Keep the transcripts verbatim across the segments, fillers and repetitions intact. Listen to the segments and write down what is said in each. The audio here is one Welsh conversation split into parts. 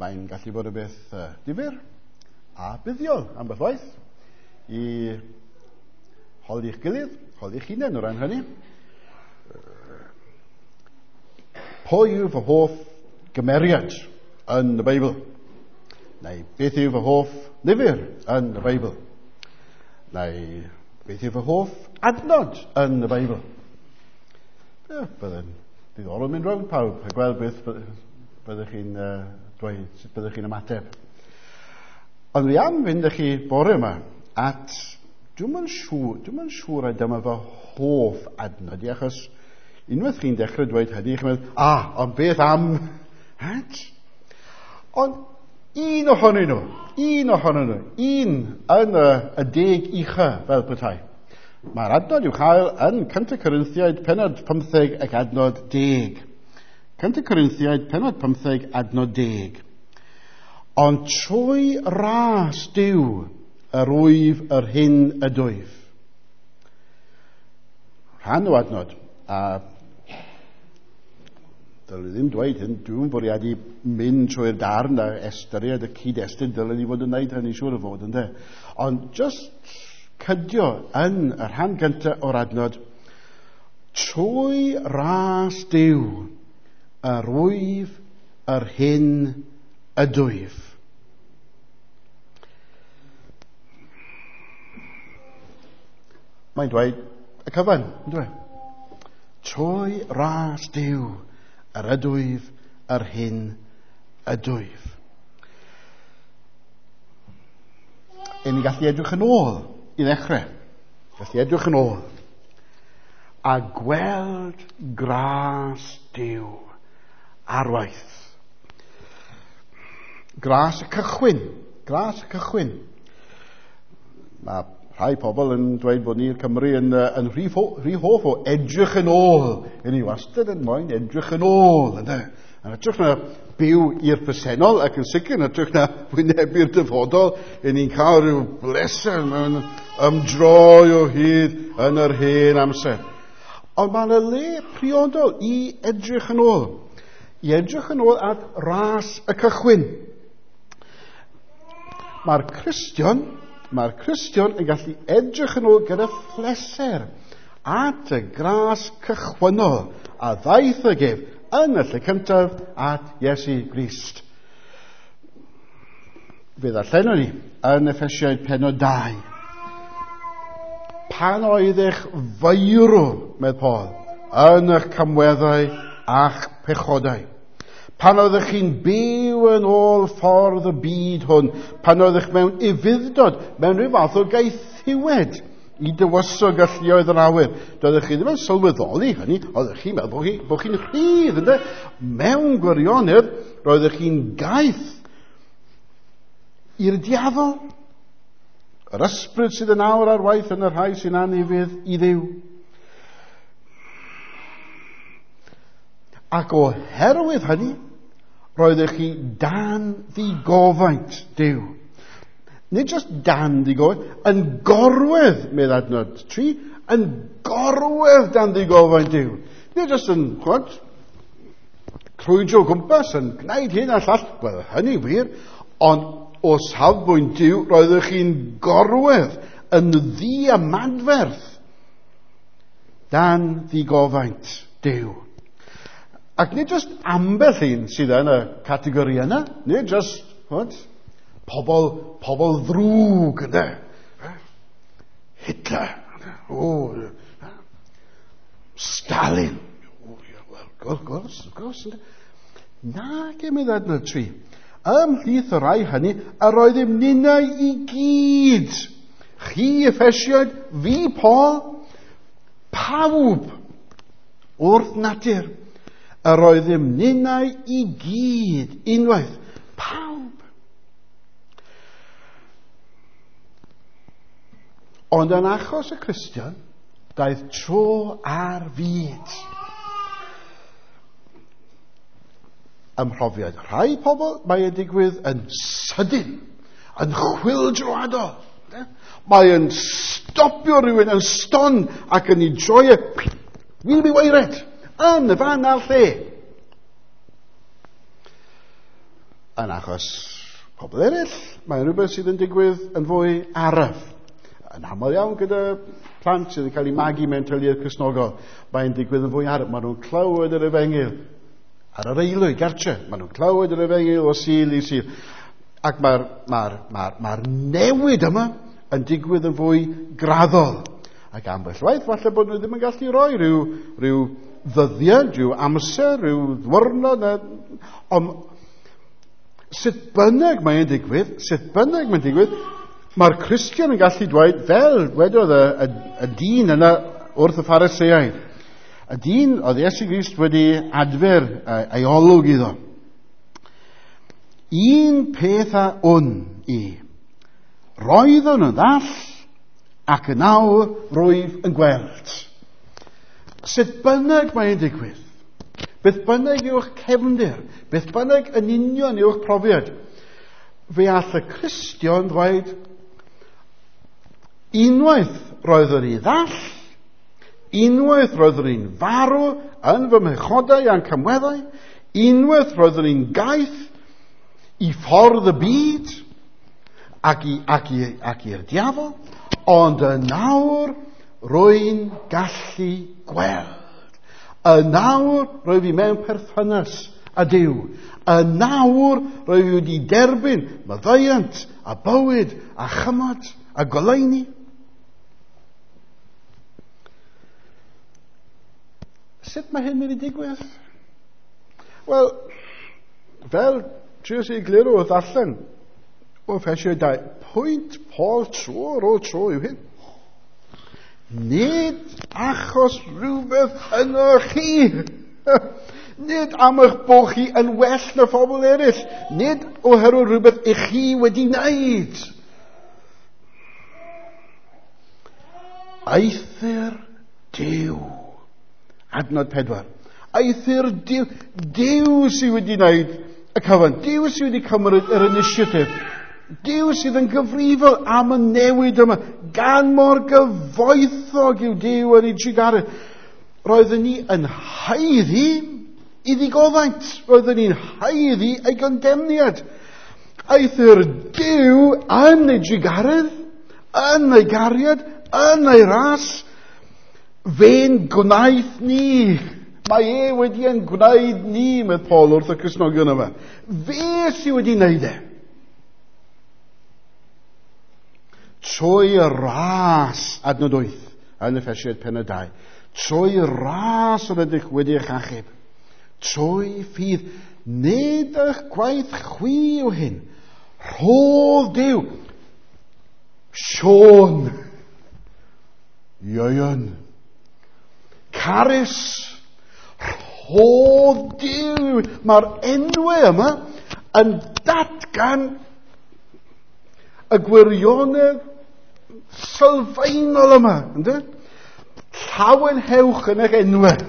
Mae'n gallu bod yn beth uh, difyr a buddiol ambell waith i holi'ch gilydd, holi'ch hunain o ran hynny. Pwy yw fy hoff gymeriad yn y Beibl? Neu beth yw fy hoff lyfr yn y Beibl? Neu beth yw fy hoff adnod yn y Beibl? Ie, byddai'n ddiddorol mynd rownd pawb a gweld beth byddwch chi'n uh, dweud, sut byddwch chi'n ymateb. Ond fi am fynd â chi bore yma at, dwi'm yn siŵr, dwi'm yn siŵr a dyma fy hoff adnod i, achos unwaith chi'n dechrau dweud hynny, chi'n meddwl, ah, ond beth am? Het? Ond un ohonyn nhw, un ohonyn nhw, un yn y, y deg ucha fel petai. Mae'r adnod i'w chael yn Cyntaf Corinthiaid pennod pymtheg ac adnod deg. Cyntaf Corinthiaid pennod pymtheg adnod deg. Ond trwy ras Duw yr wyf yr hyn ydwyf. Rhan o adnod, a dylwn i ddim dweud hyn, dwi'n bwriadu mynd trwy'r darn a ystyried y cyd-destun, dylwn i fod yn gwneud hynny siŵr o fod, ynde. Ond just cydio yn y rhan gyntaf o'r adnod, trwy ras Duw yr wyf yr hyn ydwyf. Mae'n dweud y cyfan, yn dweud. Trwy ras Duw yr ydwyf yr hyn ydwyf. Yn ni gallu edrych yn ôl i ddechrau. Gallu edrych yn ôl a gweld gras Duw ar waith. Gras y cychwyn. Gras y cychwyn. Mae rhai pobl yn dweud bod ni'r Cymru yn, yn rhy, rhy hoff o edrych yn ôl. Yn ni wastad yn moyn edrych yn ôl. Ynddo? Yn hytrach na byw i'r presennol ac yn sicr yn hytrach na wynebu'r dyfodol, yn ni'n cael rhyw bleser mewn ymdroi o hyd yn yr hen amser. Ond mae yna le priodol i edrych yn ôl. I edrych yn ôl at ras y cychwyn. Mae'r Cristion, mae'r Cristion yn gallu edrych yn ôl gyda phleser at y gras cychwynnol a ddaeth ag ef yn y lle cyntaf at Iesu Grist. Fe ddarllenwn ni yn Effesiaid pennod dau. Pan oeddech feirw, medd Paul, yn eich camweddau a'ch pechodau. Pan oeddech chi'n byw yn ôl ffordd y byd hwn, pan oeddech mewn ufudd-dod, mewn rhyw fath o gaethiwed i dywysog galluoedd yr awyr. Doeddech chi ddim yn sylweddoli hynny, oeddech chi'n meddwl bod chi, bod chi'n rhydd, ynde? Mewn gwirionedd, roeddech chi'n gaeth i'r diafol. Yr ysbryd sydd yn awr ar waith yn y rhai sy'n anufudd i Dduw. Ac oherwydd hynny, roeddech chi dan ddigofaint Duw. Nid just dan ddigofaint, yn gorwedd, medd adnod tri, yn gorwedd dan ddigofaint Duw. Nid just yn, chwad, crwydro o gwmpas, yn gwneud hyn a llall, wel, hynny wir, ond o safbwynt Duw, roeddech chi'n gorwedd yn ddiamadferth dan ddigofaint Duw. Ac nid just ambell un sydd yn y categori yna, nid just, chwad, pobl, pobl ddrwg, ynde? Hitler, oh, Stalin, oh, well, gwrs, gwrs, gwrs, ynde? Na, gymryd adnod tri. Ymhlith y rhai hynny, yr oeddem ninnau i gyd. Chi, Effesiaid, fi, Paul, pawb wrth natur. Yr oeddem ninnau i gyd, unwaith, pawb. Ond yn achos y Cristion, daeth tro ar fyd. Ym mhrofiad rhai pobl, mae e'n digwydd yn sydyn, yn chwyldroadol. Mae e'n stopio rhywun yn stond ac yn ei droi e, wyneb i waered, yn y fan a'r lle. Yn achos pobl eraill, mae'n rhywbeth sydd yn digwydd yn fwy araf. Yn aml iawn gyda plant sydd yn cael eu magu mewn teuluoedd Cristnogol, mae'n digwydd yn fwy araf. Maen nhw'n clywed yr efengyl ar yr aelwyd gartre. Maen nhw'n clywed yr efengyl o Sul i Sul. Ac mae'r mae mae mae newid yma yn digwydd yn fwy graddol. Ac ambell waith, falle bod nhw ddim yn gallu rhoi rhyw, rhyw ddyddiad, rhyw amser, rhyw ddwrnod. Ond sut bynnag mae'n digwydd, sut bynnag mae'n digwydd, mae'r Cristion yn gallu dweud, fel wedodd y, y, y dyn yna wrth y Phariseaid, y dyn oedd Iesu Grist wedi adfer ei olwg iddo. Un peth a wn i, roeddwn yn ddall ac yn awr rwyf yn gweld. Sut bynnag mae'n digwydd, beth bynnag yw'ch cefndir, beth bynnag yn union yw'ch profiad, fe all y Cristion ddweud, unwaith roeddwn i ddall, unwaith roeddwn i'n farw yn fy mhechodau a'n camweddau, unwaith roeddwn i'n gaeth i ffordd y byd ac, i, ac, i, ac i'r diafol, ond yn awr rwy'n gallu gweld. Yn awr rwyf i mewn perthynas â Duw. Yn awr rwyf i wedi derbyn maddeuant a bywyd a chymod a goleuni. Sut mae hyn mynd i digwydd? Wel, fel trio i egluro wrth allan o Effesiaid dau, pwynt Paul tro ar ôl tro yw hyn. Nid achos rhywbeth yno chi. Nid am eich bod chi yn well na phobl eraill. Nid oherwydd rhywbeth i chi wedi wneud. Eithr Duw. Adnod pedwar. Eithr Duw. Duw sydd wedi wneud y cyfan. Duw sydd wedi cymryd yr initiative. Duw sydd yn gyfrifol am y newid yma. Gan mor gyfoethog yw Duw yn ei trugaredd. Roeddwn ni yn haeddu i ddigofaint. Roeddwn ni'n haeddu ei gondemniad. Eithr Duw yn ei trugaredd, yn ei gariad, yn ei ras, fe'n gwnaeth ni. Mae e wedi yn gwneud ni, medd Paul wrth y Cristnogion yma. Fe sydd wedi wneud e. Trwy y ras, adnod wyth, yn Effesiaid pennod dau. Trwy y ras yr ydych wedi eich achub. Trwy ffydd, nid eich gwaith chwi yw hyn. Rhodd Duw. Siôn. Ieuan. Carys. Rhodd Duw. Mae'r enwau yma yn datgan y gwirionedd sylfaenol yma, ynddo? Llawenhewch yn eich enwau.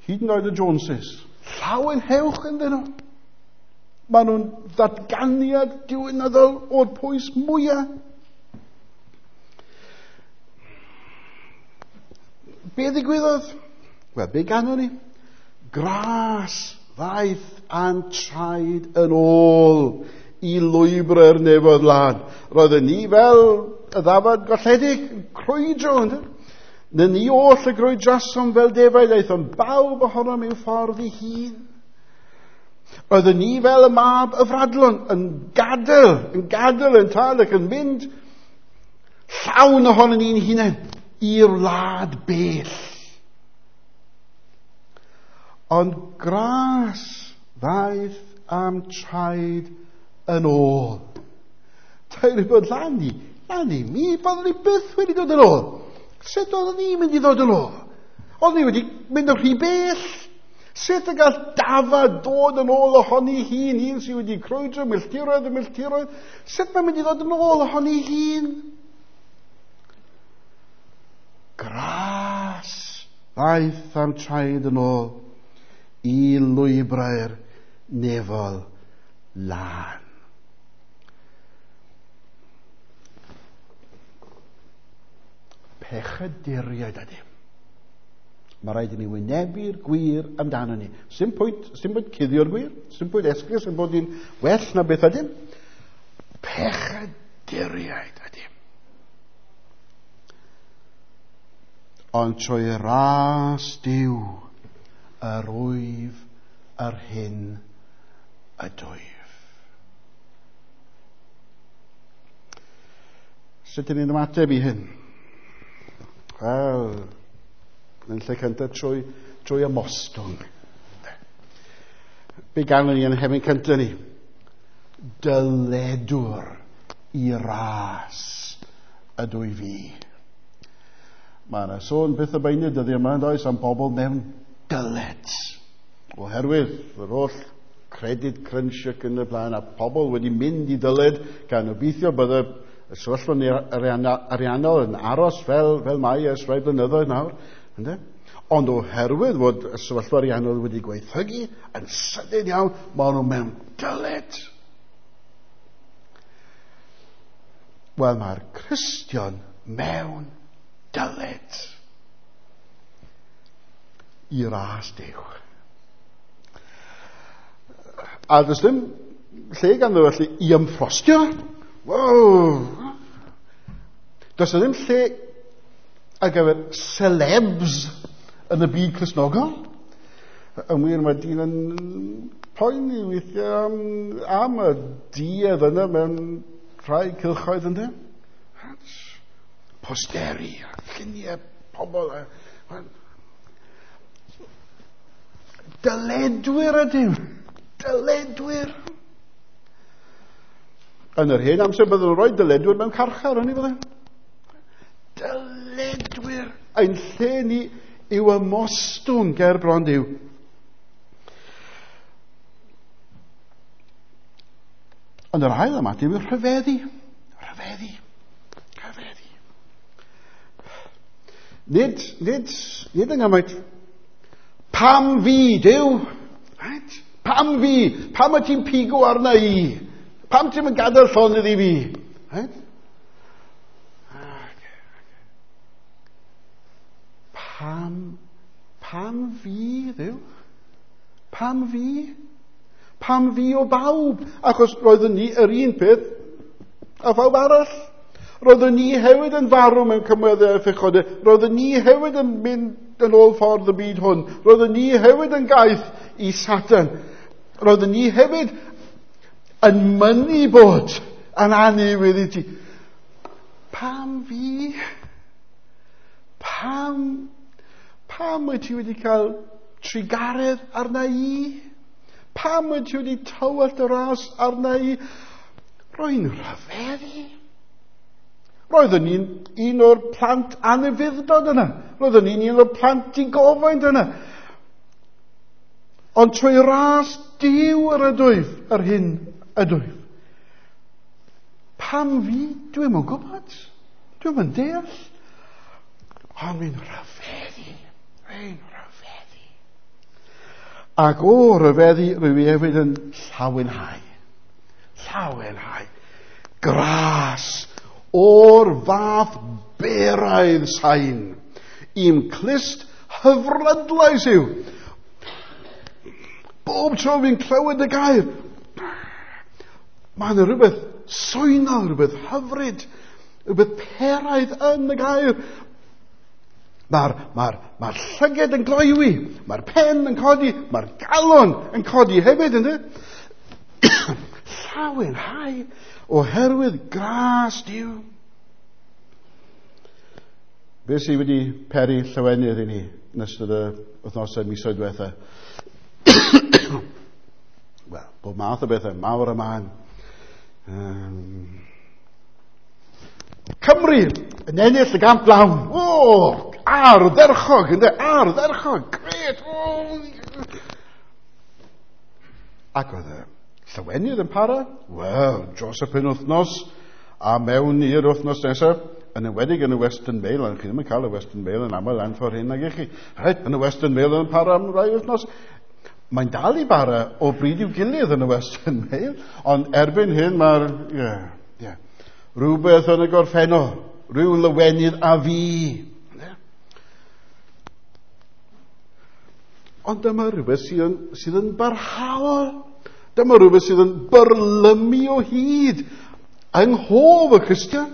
Hyd yn oed y Joneses. Llawenhewch ynddyn nhw. Maen nhw'n ddatganiad diwynyddol o'r pwys mwyaf. Be ddigwyddodd? Wel, be ganon ni? Gras ddaeth a'n traed yn ôl i lwybrau'r nefoedd lân. Roedden ni fel y ddafad golledig, crwydro, ynddo? Na ni oll y grwydrasom fel defaid, aethom bawb ohonom i'w ffordd ei hun. Roedden ni fel y mab y fradlon, yn gadael, yn gadael yn tad ac yn mynd llawn ohonon ni'n hunain i'r wlad bell. Ond gras ddaeth am traed yn ôl. Tair bod lan ni, lan ni, mi byddwn ni byth wedi dod yn ôl. Sut oeddwn ni'n mynd i ddod yn ôl? Oeddwn ni wedi mynd o'r rhy bell. Sut y gall dafad dod yn ôl ohoni hun, un sydd wedi crwydro milltiroedd a milltiroedd? Sut mae'n mynd i ddod yn ôl ohoni hun? Gras ddaeth am traed yn ôl i lwybrau'r nefol lân. Pechaduriaid ydym. Mae rhaid i ni wynebu'r gwir amdano ni. Sim pwynt, sim pwynt cuddio'r gwir, sim pwynt esgus yn bod ni'n well na beth ydym. Pechaduriaid ydym. Ond trwy ras Duw yr wyf yr hyn ydwyf. Sut ydyn ni'n ymateb i hyn? Wel, yn lle cyntaf trwy, trwy ymostwng. Be ganwn ni yn hefyd cyntaf ni? Dyledwr i ras ydw i fi. Mae yna sôn beth y beinydd dyddiau yma yn does am bobl mewn dyled. Oherwydd yr holl credit crunch ac yn y blaen, a pobl wedi mynd i dyled gan obeithio bydde y sefyllfa ariannol yn aros fel, fel mae ers rhai blynyddoedd nawr. Ynde? Ond oherwydd fod y sefyllfa ariannol wedi gweithrygu yn sydyn iawn, maen nhw mewn dyled. Wel, mae'r Cristion mewn dyled i ras Duw. A does dim lle ganddo felly i ymffrostio. Wow! Does ddim lle ar gyfer celebs yn y byd Cristnogol. Yn wir, mae dyn yn poeni weithiau am, am y duedd yna mewn rhai cylchoedd ynddo. Posteri, lluniau, pobl. Dyledwyr ydym. Dyledwyr. Yn yr hen amser byddwn nhw'n rhoi dyledwyr mewn carchar, o'n i fydde? Dyledwyr. Ein lle ni yw ymostwng ger bron Duw. Ond yr ail ymateb yw rhyfeddu. Rhyfeddu. Rhyfeddu. Nid, nid, nid yng Nghymru. Pam fi, Duw? Right? Pam fi? Pam y ti'n pigo arna i? Pam ti'n mynd gadael llonydd i fi? Right? Pam, pam fi, Dduw? Pam fi? Pam fi o bawb? Achos roeddwn ni yr un peth a phawb arall. Roeddwn ni hefyd yn farw mewn cymweddau a phechodau. Roeddwn ni hefyd yn mynd yn ôl ffordd y byd hwn. Roeddwn ni hefyd yn gaeth i Satan. Roeddwn ni hefyd yn mynnu bod yn anufudd i ti. Pam fi? Pam? Pam wyt ti wedi cael trugaredd arna i? Pam wyt ti wedi tywallt y ras arna i? Rwy'n rhyfeddu. Roeddwn ni'n un o'r plant anufuddod yna. Roeddwn ni'n un o'r plant digofaint yna. Ond trwy ras Duw yr ydwyf, yr hyn ydwyf. Pam fi? Dwi'm yn gwybod. Dwi'm yn deall. Ond mi'n rhyfeddu. Rwy'n rhyfeddu. Ac o rhyfeddu, rwy fi hefyd yn llawenhau. Llawenhau. Gras o'r fath beraidd sain. I'm clust hyfrydlais yw. Bob tro fi'n clywed y gair, mae yna rhywbeth swynol, rhywbeth hyfryd, rhywbeth peraidd yn y gair. Mae'r mae mae llyged yn gloywi, mae'r pen yn codi, mae'r galon yn codi hefyd, ynddo? Llawenhau oherwydd gras Duw. Be sydd wedi peri llawenydd i ni yn ystod y wythnosau misoedd diwetha? Wel, bob math o bethau, mawr a mân. Um, Cymru yn ennill y gamp lawn. O, ardderchog, ynddo, ardderchog, gret. O. Ac oedd y llawenydd yn para? Wel, dros y penwythnos a mewn i'r wythnos nesaf, yn enwedig yn y Western Mail, ond chi ddim yn cael y Western Mail yn aml lan ffordd hyn nag ych chi. Reit, yn y Western Mail yn para am rai wythnos. Mae'n dal i bara o bryd i'w gilydd yn y Western Mail, ond erbyn hyn mae'r, ie, yeah, ie, yeah, rhywbeth yn y gorffennol, rhyw lywenydd a fi. Yeah. Ond dyma rhywbeth sydd yn, sydd yn barhaol. Dyma rhywbeth sydd yn byrlymu o hyd yng nghof y Cristion.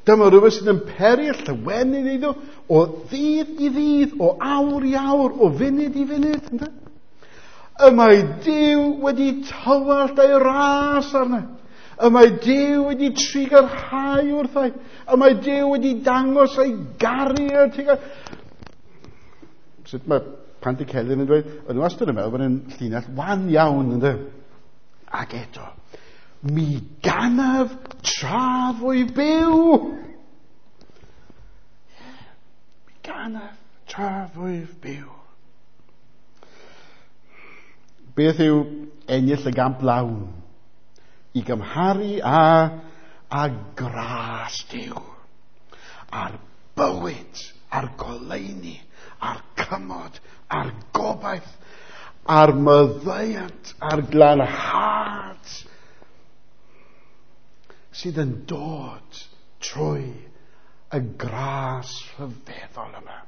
Dyma rhywbeth sydd yn peri llawenydd iddo o ddydd i ddydd, o awr i awr, o funud i funud. Ynde? Y mae Duw wedi tywallt ei ras arna. Y mae Duw wedi trugarhau wrthai. Y mae Duw wedi dangos ei gariad tuag at. Sut mae Pantycelyn yn dweud, yn wastad yn meddwl bod yn llinell wan iawn, ynddo? Ac eto, mi ganaf tra fwy byw. Mi ganaf tra fwy byw. Beth yw ennill y gamp lawn i gymharu â, â gras Duw, a'r bywyd, a'r goleuni, a'r cymod, a'r gobaith, a'r maddeuant, a'r glanhad sydd yn dod trwy y gras rhyfeddol yma.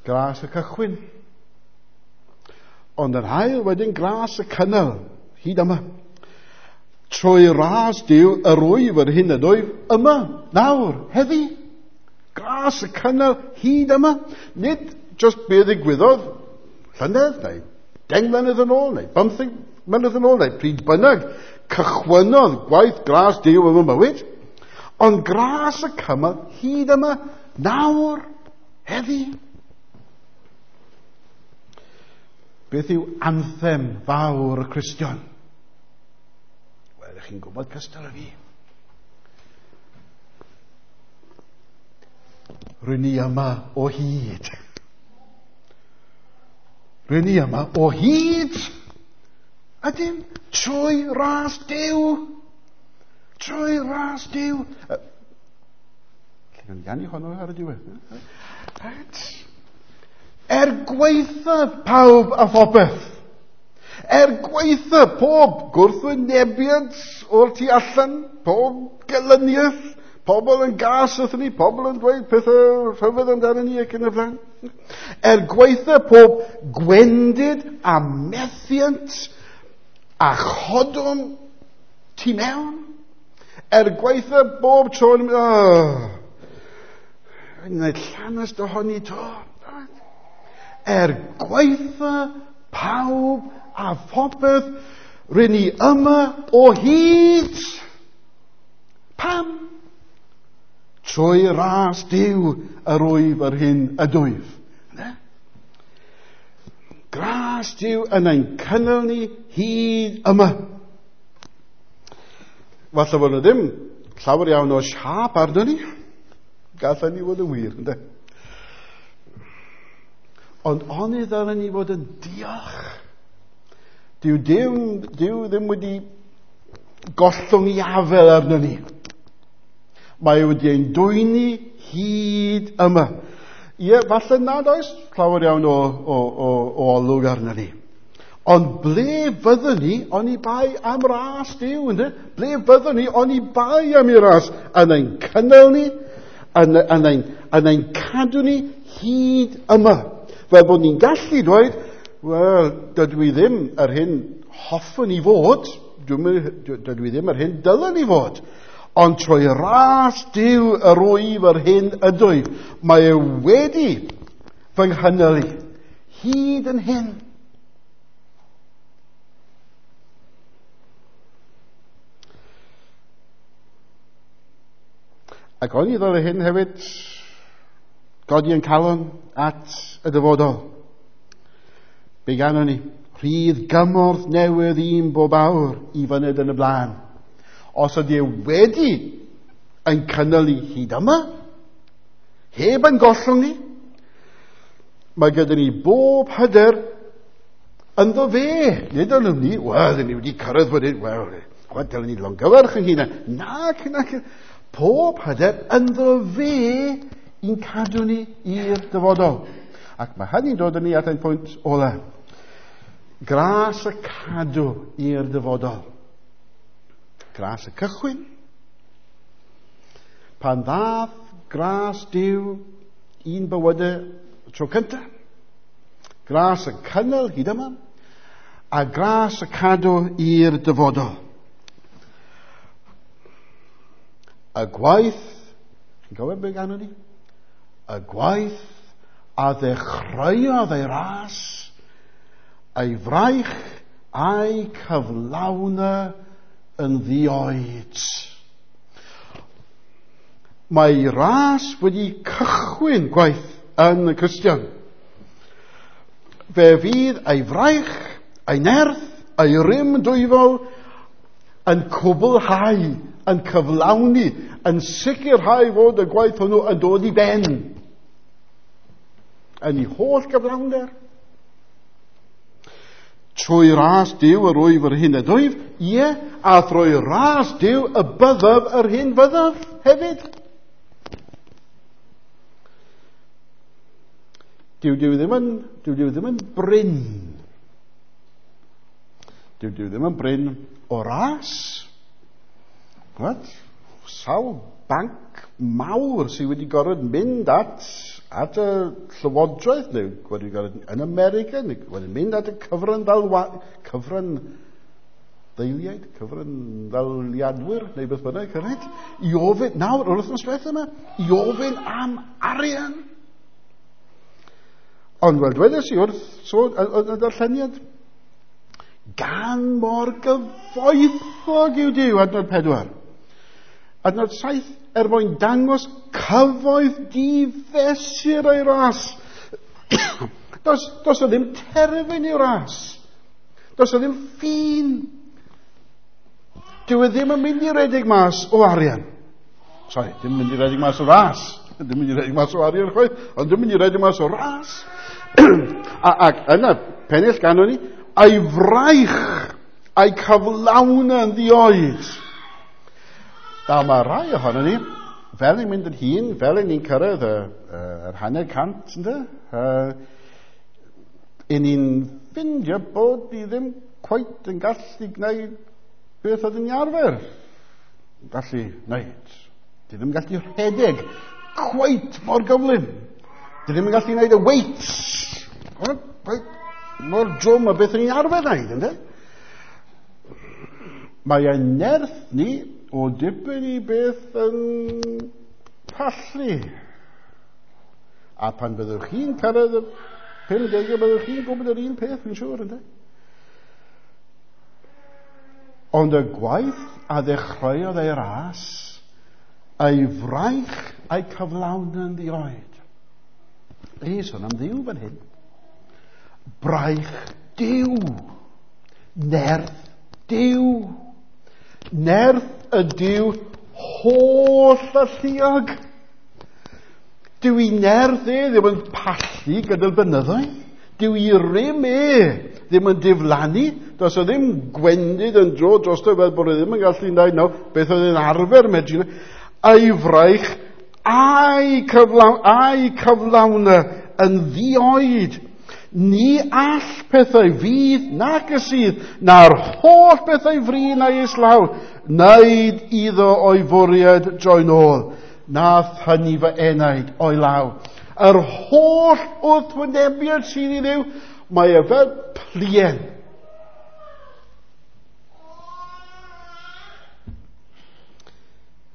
Gras y cychwyn. Ond yr ail wedyn gras y cynnal, hyd yma. Trwy ras Duw yr wyf yr hyn ydwyf yma, nawr, heddi. Gras y cynnal hyd yma. Nid just be ddigwyddodd llynedd, neu deng mlynedd yn ôl, neu bymtheg mlynedd yn ôl, neu pryd bynnag cychwynnodd gwaith gras Duw yn fy mywyd. Ond gras y cynnal hyd yma, nawr, heddi. Beth yw anthem fawr y Cristion? Wel, ych chi'n gwybod cystal â fi. Rwy'n ni yma o hyd. Rwy'n ni yma o hyd. Ydym, trwy ras Duw. Trwy ras Duw. Lle gan ganu honno ar y diwedd? Right. Er gwaethaf pawb a phopeth. Er gwaethaf pob gwrthwynebiad o'r tu allan, pob gelyniaeth, pobl yn gas wrthyn ni, pobl yn dweud pethau rhyfedd amdano ni ac yn y blaen. Er gwaethaf pob gwendid a methiant a chodwm tu mewn. Er gwaethaf bob tro yn mynd, oh, wneud llanast ohoni to. Er gwaetha pawb a phopeth, rŷn ni yma o hyd. Pam? Trwy ras Duw yr wyf yr hyn ydwyf. Gras Duw yn ein cynnal ni hyd yma. Falle fod yna ddim llawer iawn o siâp arno ni. Gallai ni fod yn wir, ynde? Ond oni ddylen ni fod yn diolch. Dyw Duw, Duw ddim wedi gollwng i afel arno ni. Mae wedi ein dwyni hyd yma. Ie, falle nad oes llawer iawn o, o, o, o olwg arno ni. Ond ble fyddwn ni oni bai am ras Duw, ynde? Ble fyddwn ni oni bai am ei ras? Yn ein cynnal ni, yn, yn, ein, yn ein cadw ni hyd yma. Fel bod ni'n gallu dweud, wel, dydw i ddim yr hyn hoffwn i fod, dydw i ddim yr hyn dylen i fod, ond trwy ras Duw yr wyf yr hyn ydwyf, mae e wedi fy nghynnal i, hyd yn hyn. Ac o'n i ddod hyn hefyd, godi yn calon at y dyfodol. Be ganon ni? Rhydd gymorth newydd un bob awr i fyned yn y blaen. Os ydy e wedi yn cynnal ni hyd yma, heb yn gollwng ni, mae gyda ni bob hyder ynddo fe. Nid yn ni, wel, ni wedi cyrraedd wedyn, wel, chwa, dylen ni longyfarch yn hunain. Nac, nac, pob hyder ynddo fe i'n cadw ni i'r dyfodol. Ac mae hynny'n dod â ni at ein pwynt ola. Gras y cadw i'r dyfodol. Gras y cychwyn. Pan ddath gras Duw un bywydau tro cyntaf. Gras y cynnal hyd yma, a gras y cadw i'r dyfodol. Y gwaith, chi'n cofio beth ganwn ni? Y gwaith a ddechreuodd ei ras, ei fraich a'i cyflawna yn ddioed. Mae ras wedi cychwyn gwaith yn y Cristion. Fe fydd ei fraich, ei nerth, ei rym dwyfol yn cwblhau, yn cyflawni, yn sicrhau fod y gwaith hwnnw yn dod i ben. Yn ei holl gyflawnder. Trwy ras Duw yr wyf yr hyn ydwyf, ie, a thrwy ras Duw y byddaf yr hyn fyddaf hefyd. Dyw Duw ddim yn, dyw Duw ddim yn brin. Dyw Duw ddim yn brin o ras. What? Sawl banc mawr sydd wedi gorfod mynd at, at y llywodraeth, neu wedi gorfod yn America, neu wedi mynd at y cyfran ddalwa, cyfran ddeiliaid, cyfran ddaliadwyr, neu beth bynnag, right? I ofyn, nawr, yr wythnos diwethaf yma, i ofyn am arian. Ond wel, dwedes i wrth sôn yn y darlleniad, gan mor gyfoethog yw Duw, adnod pedwar. Adnod saith, er mwyn dangos cyfoeth difesur o'i ras. Does, does o ddim terfyn i'w ras. Does o ddim ffin. Dyw e ddim yn mynd i redeg mas o arian. Sorry, ddim yn mynd i redeg mas o ras. Ddim yn mynd i redeg mas o arian chwaith, ond ddim yn mynd i redeg mas o ras. A, ac yna, pennill ganon ni, a'i fraich, a'i cyflawna yn ddioed. Da, mae rai ohono ni, fel ni'n mynd yn hŷn, fel ni'n cyrraedd y, y, yr hanner cant, ynde? Uh, i ni'n ffindio bod ni ddim cweit yn gallu gwneud beth oedden ni arfer gallu gwneud. Di ddim yn gallu rhedeg cweit mor gyflym. Di ddim yn gallu gwneud y weights cweit mor drwm a beth o'n ni'n arfer gwneud, ynde? Mae ein nerth ni o dipyn i beth yn pallu. A pan byddwch chi'n cyrraedd y pum degau, byddwch chi'n gwybod yr un peth, fi'n siŵr, ynde? Ond y gwaith a ddechreuodd ei ras, ei fraich a'i cyflawn yn ddioed. Ei, sôn am Dduw fan hyn. Braich Duw. Nerth Duw. Nerth y Duw holl alluog. Dyw i nerth e ddim yn pallu gyda'r blynyddoedd. Dyw i rym e ddim yn diflannu. Does o ddim gwendid yn dro drosto fel bod e ddim yn gallu gwneud nawr beth oedd e'n arfer medru. A'i fraich a'i cyflawn, a'i cyflawna yn ddioed. Ni all pethau fydd nac y sydd, na'r holl bethau fri na islaw, wneud iddo o'i fwriad droi'n ôl, na thynnu fy enaid o'i law. Yr holl wrthwynebiad sydd i Dduw, mae e fel plien.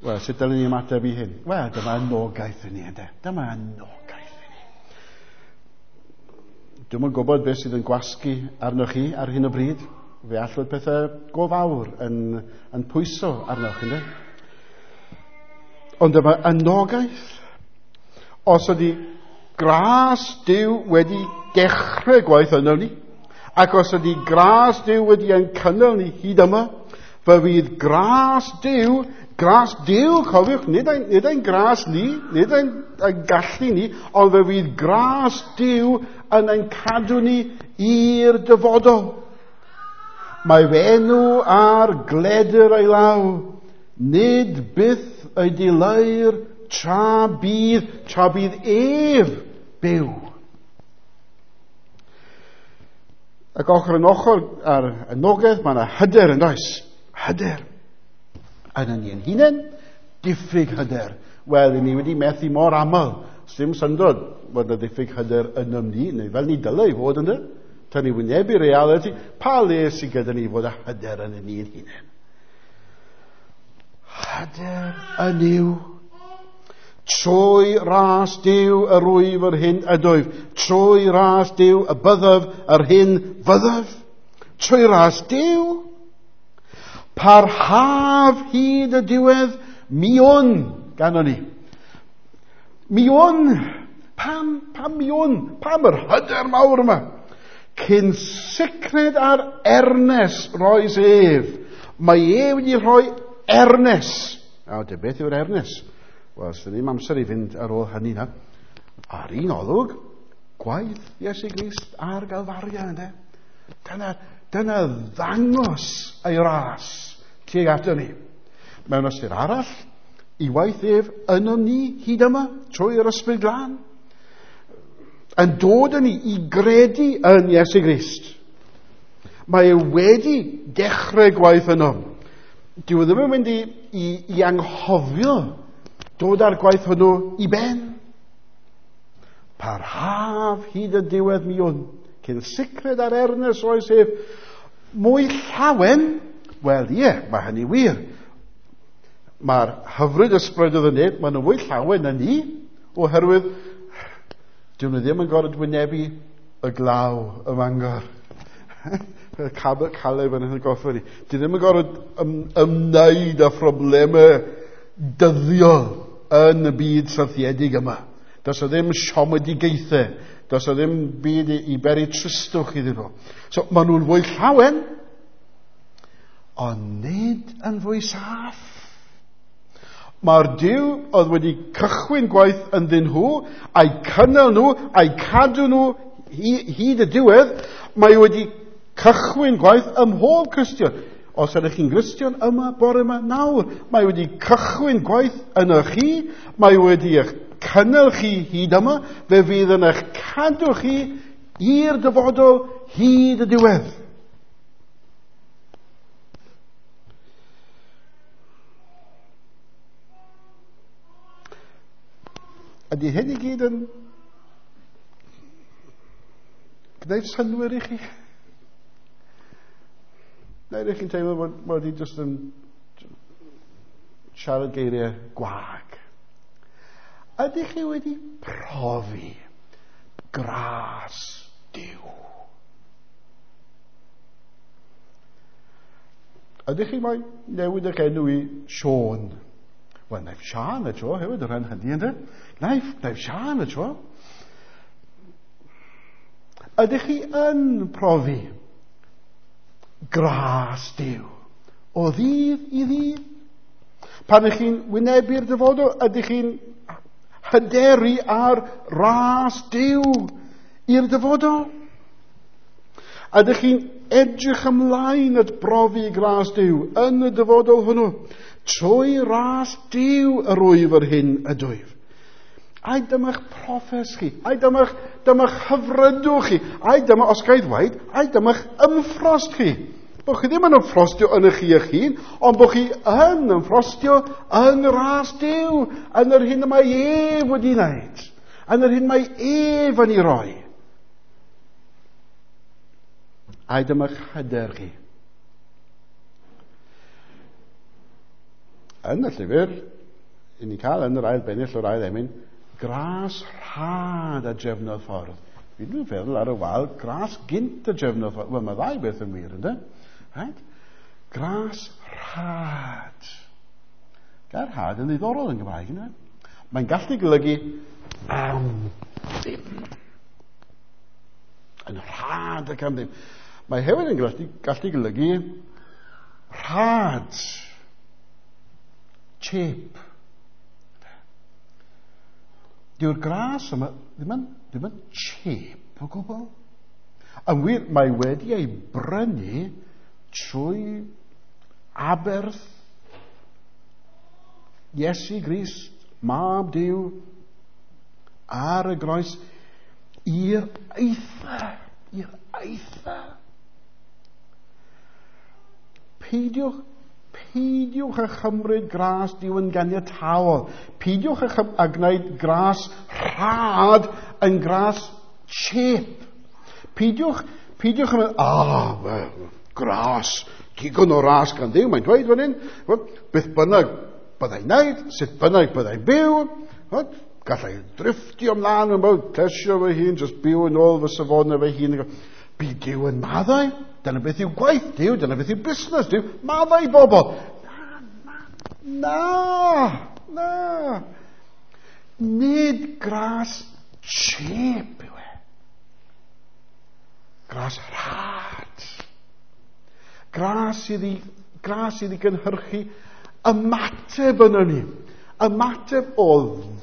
Wel, sut dylen ni ymateb i hyn? Wel, dyma anogaeth i ni, ynde? Dyma anogaeth i ni. Dwi'm yn gwybod beth sydd yn gwasgu arnoch chi ar hyn o bryd. Fe all fod pethau go fawr yn, yn pwyso arnoch, ynde? Ond dyma anogaeth. Os ydy gras Duw wedi dechrau gwaith yno ni, ac os ydy gras Duw wedi ein cynnal ni hyd yma, fe fydd gras Duw, gras Duw, cofiwch, nid ein, nid ein gras ni, nid ein, ein gallu ni, ond fe fydd gras Duw yn ein cadw ni i'r dyfodol. Mae fe enw ar gledr ei law, nid byth ei dileu'r tra bydd, tra bydd ef byw. Ac ochr yn ochr ar anogaeth, mae yna hyder yn does? Hyder. Yn yn ein hunain, diffyg hyder. Wel, ni wedi methu mor aml Sdim syndod fod yna ddiffyg hyder ynom ni, neu fel ni dylai fod yna. Tan ni wynebu reality, pa le sydd gyda ni fod â hyder yn ni'n hunain? Hyder yn yw. Trwy ras Duw yr wyf yr hyn ydwyf. Trwy ras Duw y byddaf yr hyn fyddaf. Trwy ras Duw. Parhaf hyd y diwedd, mi wn, ganon ni. Mi wn. Pam, pam mi wn? Pam yr hyder mawr yma? Cyn sicred ar ernes roes ef. Mae e wedi rhoi ernes. A de, beth yw'r ernes? Wel, sydd ddim amser i fynd ar ôl hynny na. Ar un olwg, gwaith Iesu Grist ar Galfaria, ynddo? Dyna, dyna ddangos ei ras tuag ato ni. Mewn ystyr arall, i waith ef yno ni hyd yma, trwy yr Ysbryd Glân, yn dod yn ni i gredu yn Iesu Grist. Mae e wedi dechrau gwaith yno. Dyw e ddim yn mynd i, i, i anghofio dod â'r gwaith hwnnw i ben. Parhaf hyd y diwedd mi wn, cyn sicred ar ernes oes ef, mwy llawen, wel ie, mae hynny wir. Mae'r hyfryd ysbryd oedd yn neb, maen nhw fwy llawen na ni, oherwydd dyn nhw ddim yn gorfod wynebu y glaw ym Mangor. Y Caleb yn goffa ni. Dyn nhw ddim yn gorfod ym, ymwneud â phroblemau dyddiol yn y byd syrthiedig yma. Does o ddim siomedigaethau. Does o ddim byd i, i beri tristwch iddyn nhw. So, maen nhw'n fwy llawen, ond nid yn fwy saff. Mae'r Duw oedd wedi cychwyn gwaith ynddyn nhw, a'i cynnal nhw, a'i cadw nhw hyd y diwedd, mae wedi cychwyn gwaith ym mhob Cristion. Os ydych chi'n Gristion yma, bore yma, nawr, mae wedi cychwyn gwaith yno chi, mae wedi eich cynnal chi hyd yma, fe fydd yn eich cadw chi i'r dyfodol hyd y diwedd. Ydy hyn i gyd yn gwneud synnwyr i chi? Neu ydych chi'n teimlo bod, bod i jyst yn siarad geiriau gwag? Ydych chi wedi profi gras Duw? Ydych chi mai newid eich enw i Siôn? Wel, naif Siân y tro hefyd o ran hynny, ynddo? Naif, naif Siân y tro. Ydych chi yn profi gras Duw o ddydd i ddydd? Pan ydych chi'n wynebu'r dyfodol, ydych chi'n hyderu ar ras Duw i'r dyfodol? Ydych chi'n edrych ymlaen at brofi gras Duw yn y dyfodol hwnnw? Trwy ras Duw yr wyf yr hyn ydwyf. Ai dyma'ch proffes chi, ai dyma'ch, dyma'ch hyfrydwch chi, ai dyma, os ga i ddweud, ai dyma'ch ymffrost chi. Bo chi ddim yn ymffrostio yn eich chi eich hun, ond bo chi yn ymffrostio yn ras Duw, yn yr hyn y mae ef wedi wneud, yn yr hyn mae ef yn ei roi. Ai dyma'ch hyder chi. Yn y llyfr, i ni cael yn yr ail bennill o'r ail emyn, gras rhad a drefnodd ffordd. Fi dwi'n feddwl ar y wal, gras gynt a drefnodd ffordd. Wel, mae ddau beth yn wir, ynddo? Right? Gras rhad. Gair rhad yn ddiddorol yn Gymraeg, ynddo? Mae'n gallu golygu am ddim. Yn rhad ac am ddim. Mae hefyd yn gallu, gallu golygu rhad. Cheap. Dyw'r gras yma ddim yn, ddim yn cheap o gwbl. Yn wir, mae wedi ei brynu trwy aberth Iesu Grist, Mab Duw, ar y groes i'r eitha, i'r eitha. Peidiwch, Peidiwch â chymryd gras Duw yn ganiataol. Peidiwch â, chym- â gwneud gras rhad yn gras cheap. Peidiwch, peidiwch yn meddwl, ah, well, gras, digon o ras gan Dduw, mae'n dweud fan hyn, beth bynnag byddai'n neud, sut bynnag byddai'n byw, gallai drifftio ymlaen yn byw, plesio fy hun, just byw yn ôl fy safonau fy hun. Bydd Duw yn maddau, dyna beth yw gwaith Duw, dyna beth yw busnes Duw, maddau bobl. Na, na, na, na. Nid gras cheap yw e. Gras rhad. Gras sydd i, gras sydd i gynhyrchu ymateb yno ni. Ymateb o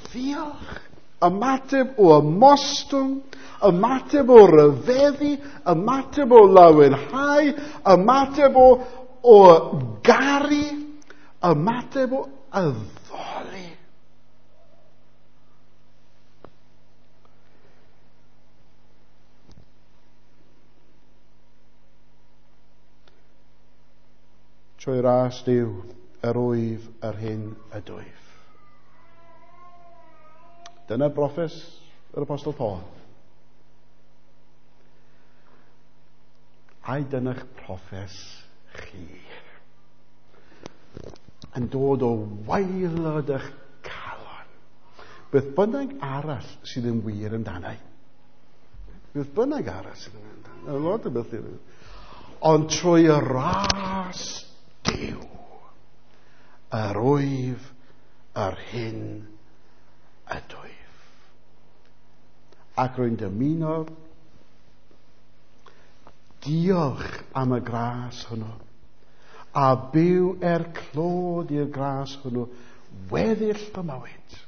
ddiolch, ymateb o ymostwng, ymateb o ryfeddu, ymateb o lawenhau, ymateb o, o garu, ymateb o addoli. Trwy ras Duw, yr wyf yr hyn ydwyf. Dyna broffes yr Apostol Paul. Ai dyna'ch proffes chi? Yn dod o waelod eich calon. Beth bynnag arall sydd yn wir amdanau. Beth bynnag arall sydd yn wir amdanau. A lot o beth. Ond trwy y ras Duw, yr wyf yr hyn ydwyf. Ac rwy'n dymuno diolch am y gras hwnnw, a byw er clod i'r gras hwnnw weddill fy mywyd.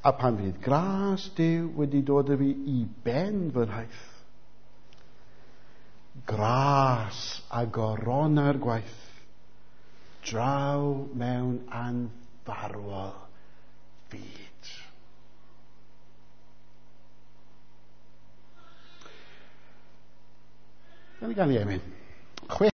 A pan fydd gras Duw wedi dod â fi i ben fy nhaith, gras a gorona'r gwaith, draw mewn anfarwol fyd. Gawn ni ganu emyn.